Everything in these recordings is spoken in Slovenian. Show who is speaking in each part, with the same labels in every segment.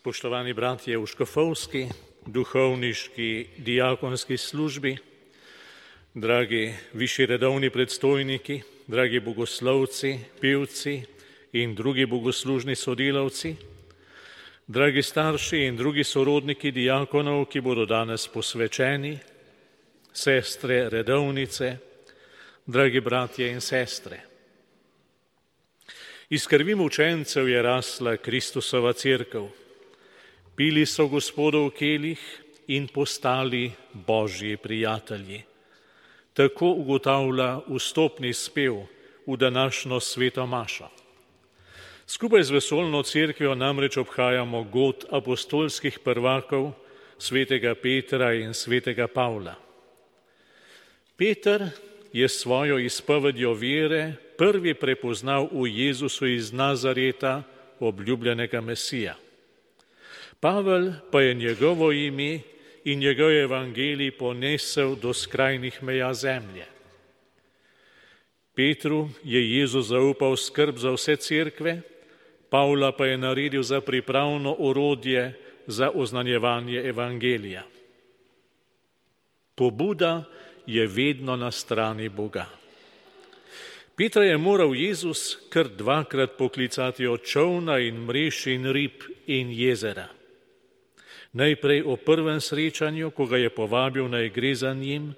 Speaker 1: Spoštovani bratje v škofovski, duhovniški, diakonski službi, dragi višji redovni predstojniki, dragi bogoslovci, pevci in drugi bogoslužni sodelavci, dragi starši in drugi sorodniki diakonov, ki bodo danes posvečeni, sestre redovnice, dragi bratje in sestre. Iz krvi mučencev je rasla Kristusova cerkev. Pili so Gospodov kelih in postali Božji prijatelji. Tako ugotavlja vstopni spev v današnjo sveto mašo. Skupaj z vesoljno cerkvijo namreč obhajamo god apostolskih prvakov svetega Petra in svetega Pavla. Peter je svojo izpovedjo vere prvi prepoznal v Jezusu iz Nazareta, obljubljenega Mesija. Pavel pa je njegovo ime in njegov evangelij ponesel do skrajnih meja zemlje. Petru je Jezus zaupal skrb za vse cerkve, Pavla pa je naredil za pripravno orodje za oznanjevanje evangelija. Pobuda je vedno na strani Boga. Petra je moral Jezus kar dvakrat poklicati od čolna in mrež in rib in jezera. Najprej o prvem srečanju, ko ga je povabil, naj gre za njim,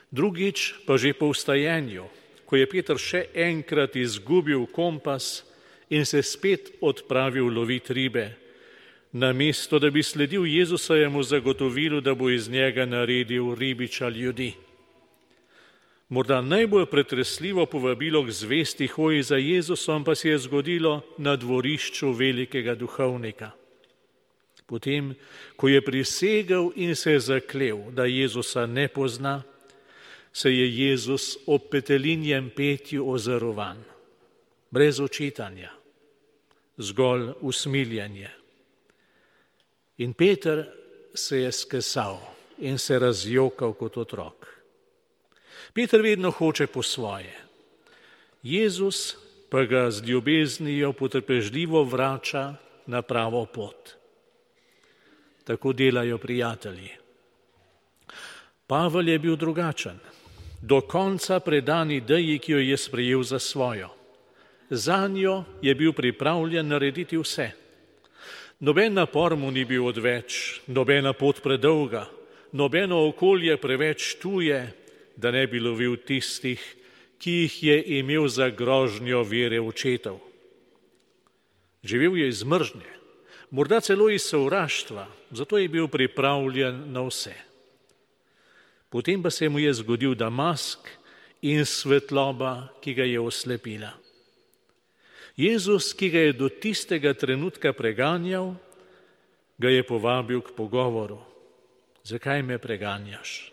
Speaker 1: drugič pa že po vstajenju, ko je Peter še enkrat izgubil kompas in se spet odpravil lovit ribe, namesto da bi sledil Jezusovemu zagotovilu, da bo iz njega naredil ribiča ljudi. Morda najbolj pretresljivo povabilo k zvesti hoji za Jezusom pa se je zgodilo na dvorišču velikega duhovnika. Potem, ko je prisegel in se zaklel, da Jezusa ne pozna, se je Jezus ob petelinjem petju ozrl vanj, brez očitanja, zgolj usmiljenje. In Peter se je skesal in se razjokal kot otrok. Peter vedno hoče po svoje. Jezus pa ga z ljubeznijo potrpežljivo vrača na pravo pot. Tako delajo prijatelji. Pavel je bil drugačen, do konca predan ideji, ki jo je sprejel za svojo. Zanjo je bil pripravljen narediti vse. Noben napor mu ni bil odveč, nobena pot predolga, nobeno okolje preveč tuje, da ne bi lovil tistih, ki jih je imel za grožnjo vere očetov. Živel je iz mržnje, morda celo iz sovraštva, zato je bil pripravljen na vse. Potem pa se mu je zgodil Damask in svetloba, ki ga je oslepila. Jezus, ki ga je do tistega trenutka preganjal, ga je povabil k pogovoru. Zakaj me preganjaš?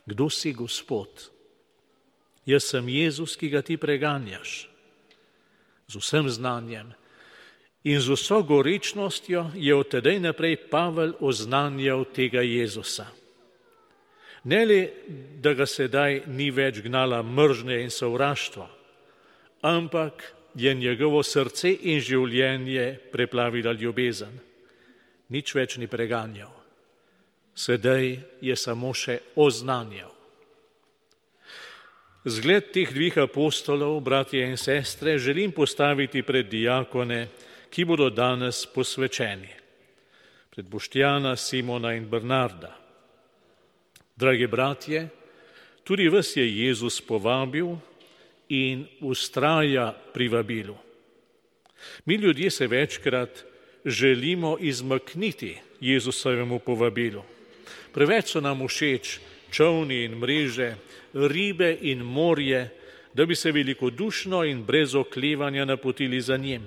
Speaker 1: Kdo si, Gospod? Jaz sem Jezus, ki ga ti preganjaš. Z vsem znanjem in z vso gorečnostjo je od tedaj naprej Pavel oznanjal tega Jezusa. Ne le, da ga sedaj ni več gnala mržnje in sovraštvo, ampak je njegovo srce in življenje preplavila ljubezen. Nič več ni preganjal. Sedaj je samo še oznanjal. Zgled teh dveh apostolov, bratje in sestre, želim postaviti pred diakone, ki bodo danes posvečeni. Pred Boštjana, Simona in Bernarda. Dragi bratje, tudi vas je Jezus povabil in vztraja pri vabilu. Mi ljudje se večkrat želimo izmakniti Jezusovemu povabilu. Preveč so nam všeč čolni in mreže, ribe in morje, da bi se velikodušno in brez oklevanja napotili za njim.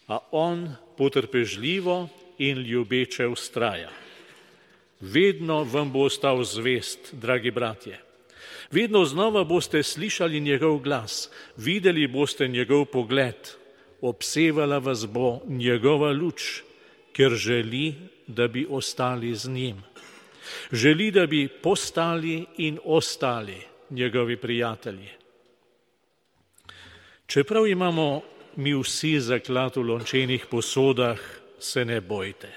Speaker 1: A on potrpežljivo in ljubeče vztraja. Vedno vam bo ostal zvest, dragi bratje. Vedno znova boste slišali njegov glas, videli boste njegov pogled, obsevala vas bo njegova luč, ker želi, da bi ostali z njim. Želi, da bi postali in ostali njegovi prijatelji. Čeprav imamo mi vsi zaklad v lončenih posodah, se ne bojte.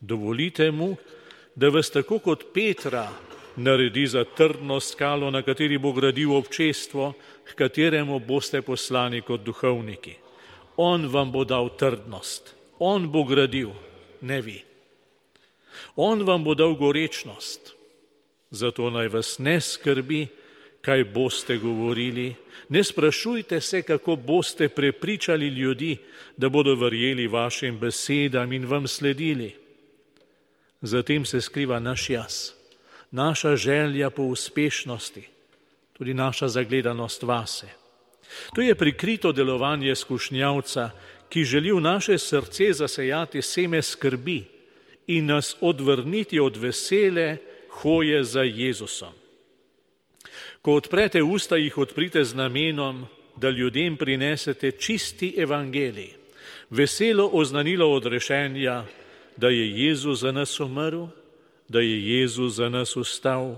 Speaker 1: Dovolite mu, da vas tako kot Petra naredi za trdno skalo, na kateri bo gradil občestvo, k kateremu boste poslani kot duhovniki. On vam bo dal trdnost, on bo gradil, ne vi. On vam bo dal gorečnost, zato naj vas ne skrbi, kaj boste govorili. Ne sprašujte se, kako boste prepričali ljudi, da bodo verjeli vašim besedam in vam sledili. Zatem se skriva naš jaz, naša želja po uspešnosti, tudi naša zagledanost vase. To je prikrito delovanje skušnjavca, ki želi v naše srce zasejati seme skrbi in nas odvrniti od vesele hoje za Jezusom. Ko odprete usta, jih odprite z namenom, da ljudem prinesete čisti evangelij, veselo oznanilo odrešenja, da je Jezus za nas umrl, da je Jezus za nas vstal,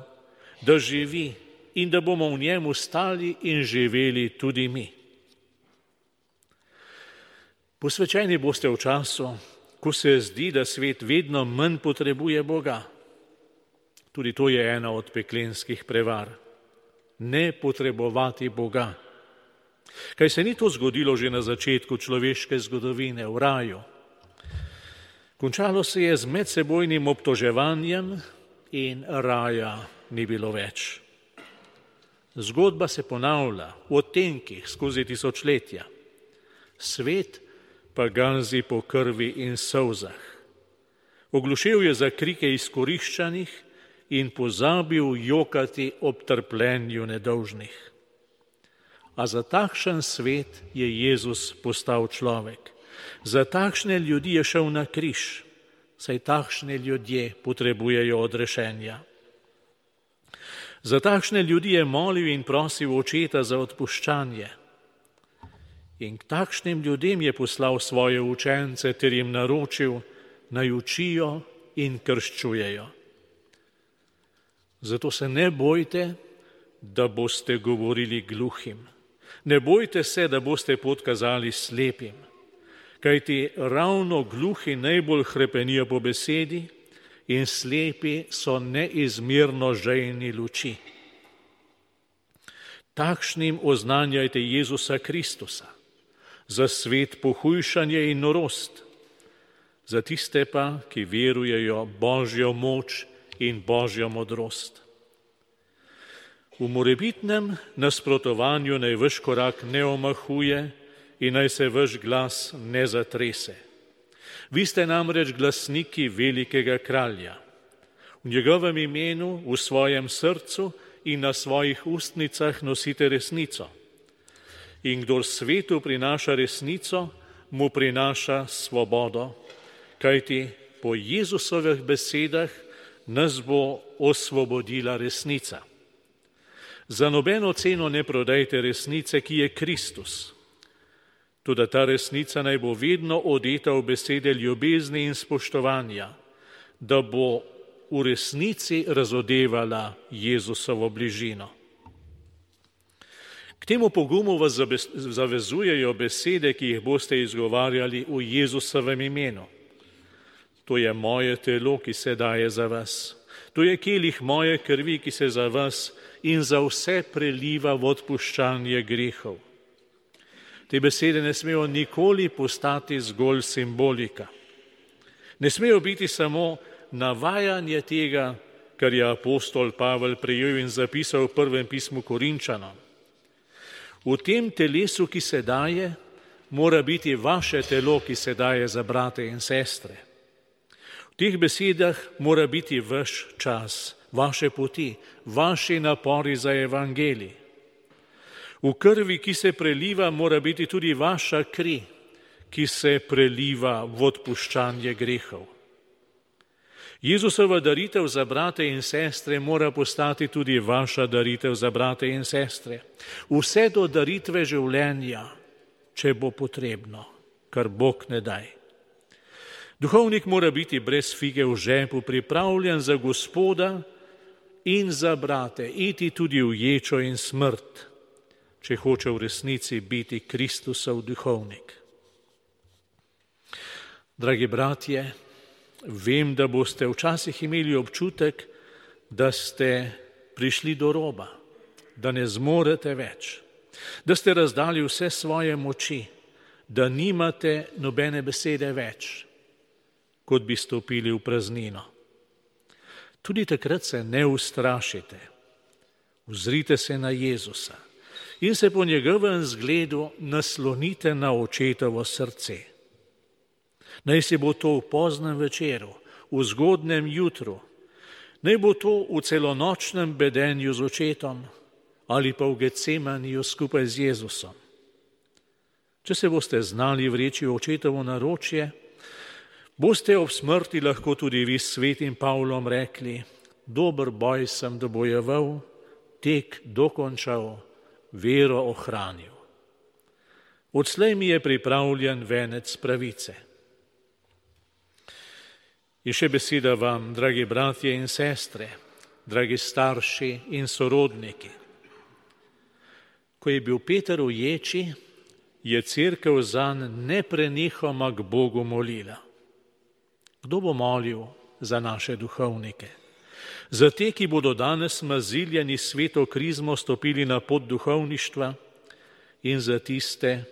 Speaker 1: da živi in da bomo v njem ostali in živeli tudi mi. Posvečeni boste v času, ko se zdi, da svet vedno manj potrebuje Boga. Tudi to je ena od peklenskih prevar. Ne potrebovati Boga. Kaj se ni to zgodilo že na začetku človeške zgodovine v raju? Končalo se je z medsebojnim obtoževanjem in raja ni bilo več. Zgodba se ponavlja v odtenkih skozi tisočletja. Svet pa ganzi po krvi in solzah. Oglušel je za krike izkoriščanih in pozabil jokati ob trpljenju nedolžnih. A za takšen svet je Jezus postal človek. Za takšne ljudi je šel na križ, saj takšne ljudje potrebujejo odrešenja. Za takšne ljudi je molil in prosil Očeta za odpuščanje. In k takšnim ljudem je poslal svoje učence ter jim naročil, naj učijo in krščujejo. Zato se ne bojte, da boste govorili gluhim. Ne bojte se, da boste pot kazali slepim, kajti ravno gluhi najbolj hrepenijo po besedi in slepi so neizmerno žejni luči. Takšnim oznanjajte Jezusa Kristusa, za svet pohujšanje in norost, za tiste pa, ki verujejo Božjo moč in Božjo modrost. V morebitnem nasprotovanju naj vaš korak ne omahuje in naj se vaš glas ne zatrese. Vi ste namreč glasniki velikega kralja. V njegovem imenu, v svojem srcu in na svojih ustnicah nosite resnico. In kdor svetu prinaša resnico, mu prinaša svobodo, kajti po Jezusovih besedah nas bo osvobodila resnica. Za nobeno ceno ne prodajte resnice, ki je Kristus. Toda ta resnica naj bo vedno odeta v besede ljubezni in spoštovanja, da bo v resnici razodevala Jezusovo bližino. K temu pogumu vas zavezujejo besede, ki jih boste izgovarjali v Jezusovem imenu. To je moje telo, ki se daje za vas. To je kelih moje krvi, ki se za vas in za vse preliva v odpuščanje grehov. Te besede ne smejo nikoli postati zgolj simbolika. Ne smejo biti samo navajanje tega, kar je apostol Pavel prejel in zapisal v prvem pismu Korinčanom. V tem telesu, ki se daje, mora biti vaše telo, ki se daje za brate in sestre. V teh besedah mora biti vaš čas, vaše poti, vaši napori za evangelij. V krvi, ki se preliva, mora biti tudi vaša kri, ki se preliva v odpuščanje grehov. Jezusova daritev za brate in sestre mora postati tudi vaša daritev za brate in sestre. Vse do daritve življenja, če bo potrebno, kar Bog ne daj. Duhovnik mora biti brez fige v žepu, pripravljen za Gospoda in za brate, iti tudi v ječo in smrt. če hoče v resnici biti Kristusov duhovnik. Dragi bratje, vem, da boste včasih imeli občutek, da ste prišli do roba, da ne zmorete več, da ste razdali vse svoje moči, da nimate nobene besede več, kot bi stopili v praznino. Tudi takrat se ne ustrašite, ozrite se na Jezusa in se po njegovem zgledu naslonite na očetovo srce. Naj se bo to v poznem večeru, v zgodnem jutru, naj bo to v celonočnem bedenju z očetom ali pa v Getsemaniju skupaj z Jezusom. Če se boste znali vreči v očetovo naročje, boste ob smrti lahko tudi vi s svetim Pavlom rekli: dober boj sem dobojeval, tek dokončal, vero ohranil. Odslej mi je pripravljen venec pravice. In še beseda vam, dragi bratje in sestre, dragi starši in sorodniki. Ko je bil Peter v ječi, je cerkev zanj neprenehoma k Bogu molila. Kdo bo molil za naše duhovnike? Za te, ki bodo danes maziljani sveto krizmo stopili na pot duhovništva, in za tiste,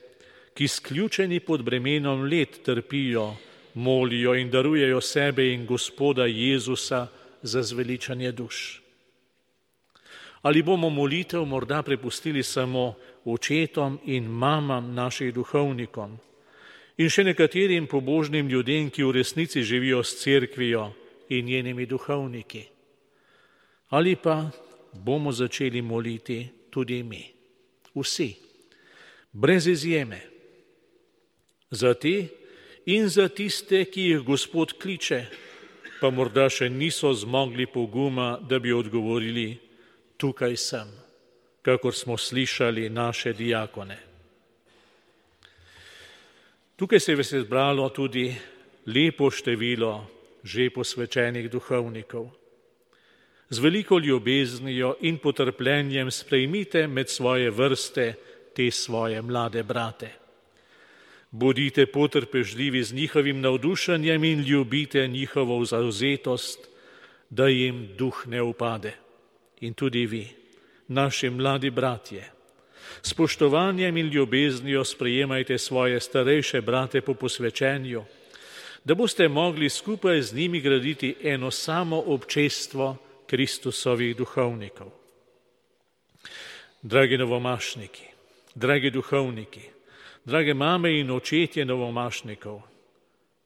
Speaker 1: ki sključeni pod bremenom let trpijo, molijo in darujejo sebe in Gospoda Jezusa za zveličanje duš. Ali bomo molitev morda prepustili samo očetom in mamam naših duhovnikom in še nekaterim pobožnim ljudem, ki v resnici živijo s cerkvijo in njenimi duhovniki? Ali pa bomo začeli moliti tudi mi, vsi, brez izjeme, za te in za tiste, ki jih Gospod kliče, pa morda še niso zmogli poguma, da bi odgovorili: tukaj sem, kakor smo slišali naše diakone. Tukaj se je zbralo tudi lepo število že posvečenih duhovnikov. Z veliko ljubeznijo in potrpljenjem sprejmite med svoje vrste te svoje mlade brate. Bodite potrpežljivi z njihovim navdušenjem in ljubite njihovo zavzetost, da jim duh ne upade. In tudi vi, naši mladi bratje, s spoštovanjem in ljubeznijo sprejemajte svoje starejše brate po posvečenju, da boste mogli skupaj z njimi graditi eno samo občestvo Kristusovih duhovnikov. Dragi novomašniki, dragi duhovniki, drage mame in očetje novomašnikov,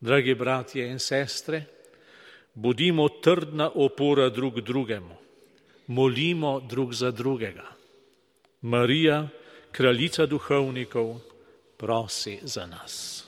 Speaker 1: dragi bratje in sestre, bodimo trdna opora drug drugemu, molimo drug za drugega. Marija, kraljica duhovnikov, prosi za nas.